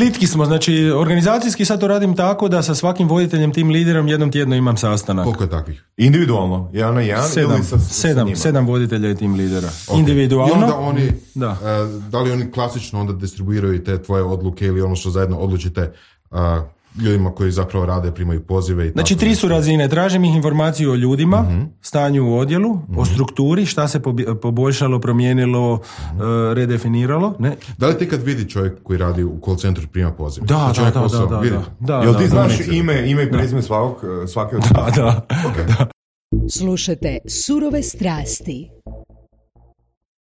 plitki smo, znači organizacijski sad to radim tako da sa svakim voditeljem, tim liderom jednom tjedno imam sastanak. Koliko je takvih? Individualno, jedan na jedan ili sa njima? Sedam voditelja i tim lidera. Okay. Individualno. I onda oni, da. Da li oni klasično onda distribuiraju te tvoje odluke ili ono što zajedno odlučite ljudima koji zapravo rade, primaju pozive i znači, tako. 3 su razine. Tražim ih informaciju o ljudima, stanju u odjelu, o strukturi, šta se poboljšalo, promijenilo, redefiniralo. Ne? Da li ti kad vidi čovjek koji radi u call centru prima poziv? Da. Jel ti znaš ime i prezime svake od... Da. Okay. Slušajte Surove strasti.